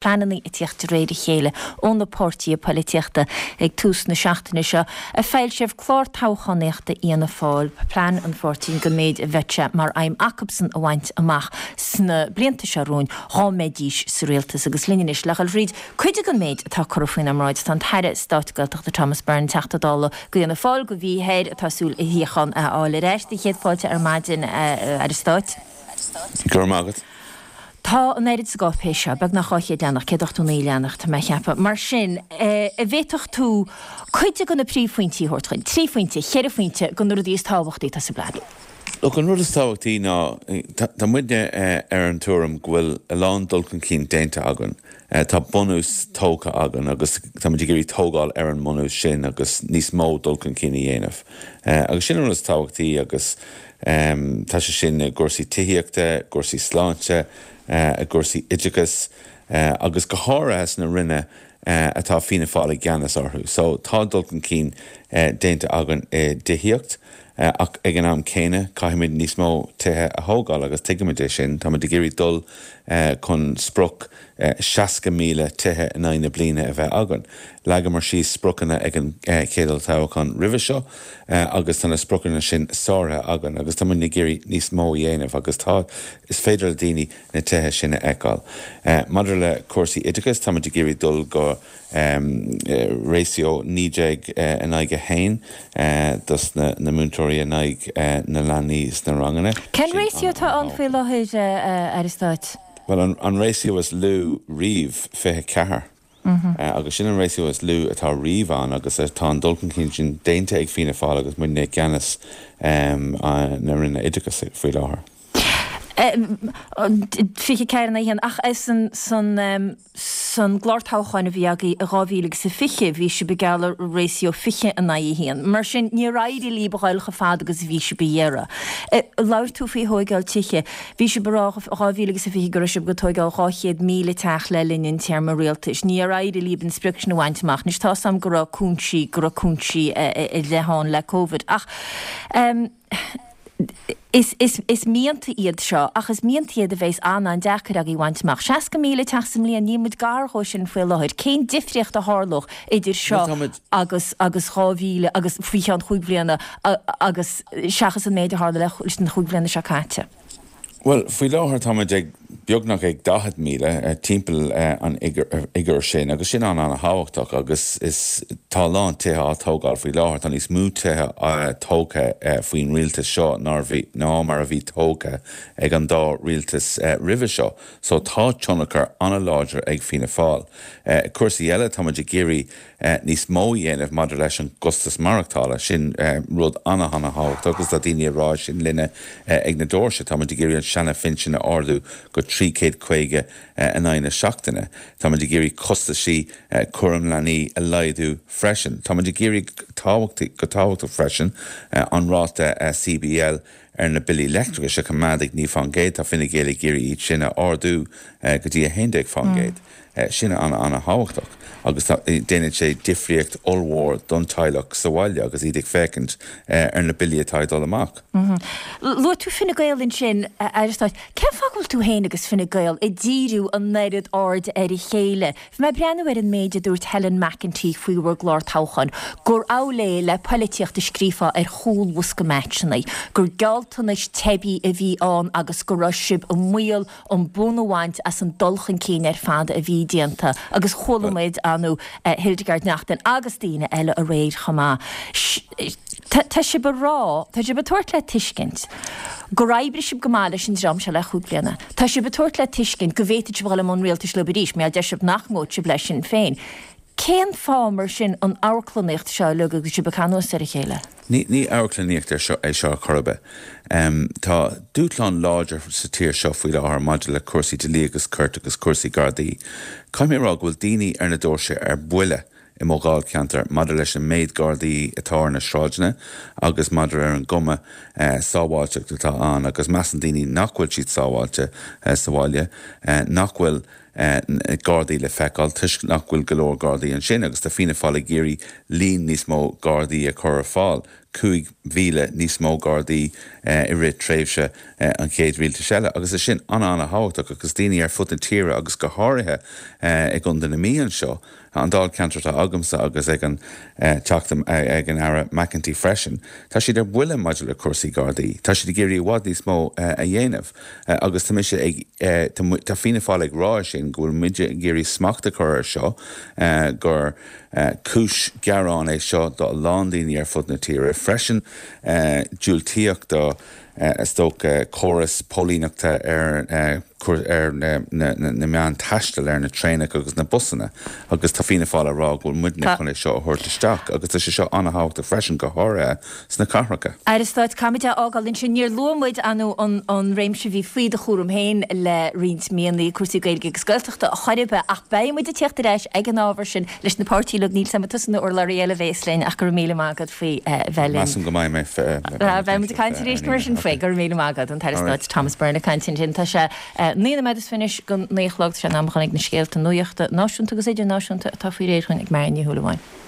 Pleananna ag tíocht de réir a chéile ó na páirtithe poilitíochta ag tús na seachtaine seo a foilsíodh clár toghchánaíochta Fhianna Fáil, plean an pháirtí don méid a bheadh sé mar aidhm acubsan a bhaint amach sna blianta seo romhainn dhá mbeidís sa rialtas. Agus linn anois le dhul thríd cuid den méid atá curtha faoinár mbráid tá an tAire Stáit Gaeltachta Thomas Byrne, Teachta Dála do Fhianna Fáil do Mhí Thoir atá ag súil a shuíochán a fháil ar ais. Céad fáilte ar maidin, a Aire Stáit. Go raibh maith agat. Tá an oiread sa gcáipéis seo, beagnach 200 leathanach, 189 leathanach, tá mé a cheapadh. Mar sin, an bhféadfadh tú cuid de na príomhphointí a thabhairt dhuinn? Trí phointe, cheithre phointe de na rudaí is tábhachtaí atá sa bplean. Look, an rud is tábhachtaí ná, tá muidne ar an tuairim go bhfuil a lán dul chun cinn déanta againn. Tá bunús tógtha againn agus tá muid ag iarraidh tógáil ar an mbunús sin agus níos mó dul chun cinn a dhéanamh. Agus sin an rud is tábhachtaí agus tá sé sin i gcúrsaí tithíochta, i gcúrsaí sláinte, i gcúrsaí oideachais agus go háirithe sna ranna atá Fianna Fáil i gceannas orthu. So tá dul chun cinn déanta againn i dtithíocht ach ag an am céanna caithfimid níos mó tithe a thógáil agus tuigimid é sin. Táimid ag iarraidh dul chun sprioc 60,000 tithe in aghaidh na bliana a bheith againn. Leagamar síos spriocanna ag an chéad olltoghchán roimhe seo agus tá na spriocanna sin sáraithe againn agus tá muid ag iarraidh níos mó a dhéanamh agus tá, is féidir le daoine na tithe sin a fheiceáil. Maidir le cúrsaí oideachais, táimid ag iarraidh dul go ratio 19 in aghaidh 1 dos na múinteoirí in aghaidh na leanaí sna ranganna. Cén ratio atá ann faoi láthair, a Aire Stáit? Bhuel, an ratio is lú riamh, 24. Agus sin an ratio is lú atá riamh ann agus tá an dul chun cinn sin déanta ag Fianna Fáil agus muidne i gceannas na Roinne Oideachais faoi láthair. 24 in aghaidh 1, ach san san gclár toghcháin a bhí agaibh i 2020 bhí sibh ag gealladh ratio 20 in aghaidh 1. Mar sin níor éirigh libh a ghoil chomh fada agus a bhí sibh ag iarraidh. Labhair tú faoi thóigeáil tithe. Bhí sibh ag rá i 2020 go raibh sibh ag tóigeáil 200,000 teach le linn an téarma rialtais. Níor éirigh libh an sprioc sin a bhaint amach. Anois tá's a'm go raibh cúinsí, go raibh cúinsí ar leith ann le Covid ach is, is, is mianta iad seo ach is mianta iad a bheas an-an-deacair agaibh a bhaint amach. 60,000 teach sa mbliain, níl muid gar dhó sin faoi láthair. Cén difríocht a tharlódh idir seo agus, agus 2000 agus faoi cheann chúig bhliana agus seachas an méid a tharla leis na chúig bhliana seo caite. Bhuel, faoi láthair táimid ag beagnach ag 40,000, timpeall an fhigiúir sin, agus sin an-an-thábhachtach agus is tá a lán tithe á tógáil faoi láthair. Tá níos mó tithe tógtha faoin rialtas seo ná mar a bhí tógtha ag an dá rialtas roimhe seo. So tá tionchar an-láidir ag Fianna Fáil. Cúrsaí eile, táimid ag iarraidh níos mó a dhéanamh maidir leis an gcostas maireachtála. Sin rud ana-ana-thábhachtach agus tá daoine ag rá sin linne ag na doirse. Táimid ag iarraidh an seana-phinsean a ardú go 350 in aghaidh na seachtaine. Táimid ag iarraidh costaisí cúram leanaí a laghdú freisin. Táimid ag iarraidh go tábhachtach freisin an ráta CBL ar na billí leictreachais a choimeád ag 9%. Tá Fine Gael ag iarraidh iad sin a ardú go dtí 11%. Sin an-an-thábhachtach agus déanann sé difríocht ollmhór don teaghlach sa bhaile agus iad ag féachaint ar na billí atá ag dul amach. Luaigh tú Fine Gael ansin, a Aire Stáit. Cén fáth go bhfuil tú féin agus Fine Gael ag díriú an oiread airde ar a chéile? Bhí mé ag breathnú ar an méid a dúirt Helen McEntee faoi bhur gclár toghcháin, gur amhail é le poilitíocht a scríofá ar chúl bhosca meaitseanna, gur gealltanais teibí a bhí ann agus go raibh sibh i mbaol an bonn a bhaint as an dul chun cinn ar fad a bhí déanta agus chuala muid anu Hildegarde Naughton agus daoine eile aréir chomh maith. Tá sibh ag rá, tá sibh ag tabhairt le tuiscint gur oibrigh sibh go maith leis an dream seo le chúig bliana. Tá sibh ag tabhairt le tuiscint go bhféadfadh sibh a dhul i mbun rialtais leo arís, mar deir sibh nach ngabhfaidh sibh le Sinn Féin. Cén fáth mar sin an amharclannaíocht seo uilig agus sibh ag cur anuas ar a chéile? Ní amharclannaíocht é seo ar chor ar bith. Tá dúshlán láidir sa tír seo faoi láthair maidir le cúrsaí dlí agus cirt agus cúrsaí Gardaí. Caithfidh mé a rá go bhfuil daoine ar na doirse ar buile i mo dháilcheantar maidir leis an méid Gardaí atá ar na sráideanna agus maidir ar an gcuma sábháilteacht atá ann agus measann daoine nach bhfuil siad sábháilte sa bhaile, nach bhfuil Gardaí le feiceáil toisc nach bhfuil go leor Gardaí ansin agus tá Fianna Fáil ag iarraidh líon níos mó Gardaí a chur ar fáil. 5,000 níos mó Gardaí i rith tréimhse an chéad rialtais eile agus é sin an-an-thábhachtach agus daoine ar fud na tíre agus go háirithe i gContae na Mí anseo, an dáilcheantar atá agamsa agus ag an Teachta, ag an Aire McEntee freisin, tá siad ar buile maidir le cúrsaí Gardaí. Tá siad ag iarraidh i bhfad níos mó a dhéanamh agus tá mise ag, tá Fianna Fáil ag rá sin, go bhfuil muide ag iarraidh smacht a chur air seo, gur cúis gearáin é seo do a lán daoine ar fud na tíre freisin. Diúltaíodh do, is dócha, córas póilíneachta ar ar na meáin taistil, ar na traenacha agus na busanna agus tá Fianna Fáil ag rá go bhfuil muidne chun é seo a thabhairt isteach agus tá sé seo an-thábhachtach freisin, go háirithe sna cathracha. Aire Stáit, caithfimid é a fhágáil ansin. Níor luaigh muid, ar ndóigh, an réimse a bhí faoi do chúram féin le roinnt míonna, cúrsaí Gaeilge agus Gaeltachta, a chor ar bith, ach beidh muid ag tíocht ar ais ag an ábhar sin leis na páirtithe uilig. Níl 's agam an tusa nó urlabhraí eile a bhéas linn ach go raibh míle maith agat faoi bheith linn. Measaim go mbeidh mé. Beidh muid ag caint arís mar sin faoi. Go raibh míle maith agat, an tAire Stáit Thomas Byrne ag caint ansin. Tá sé 9 nóiméad is fiche anois go 9 a chlog. Tá sé in am a dhul ag na scéalta nuachta náisiúnta agus idirnáisiúnta atá faoi réir dhúinn ag Marion Ní Shúilleabháin.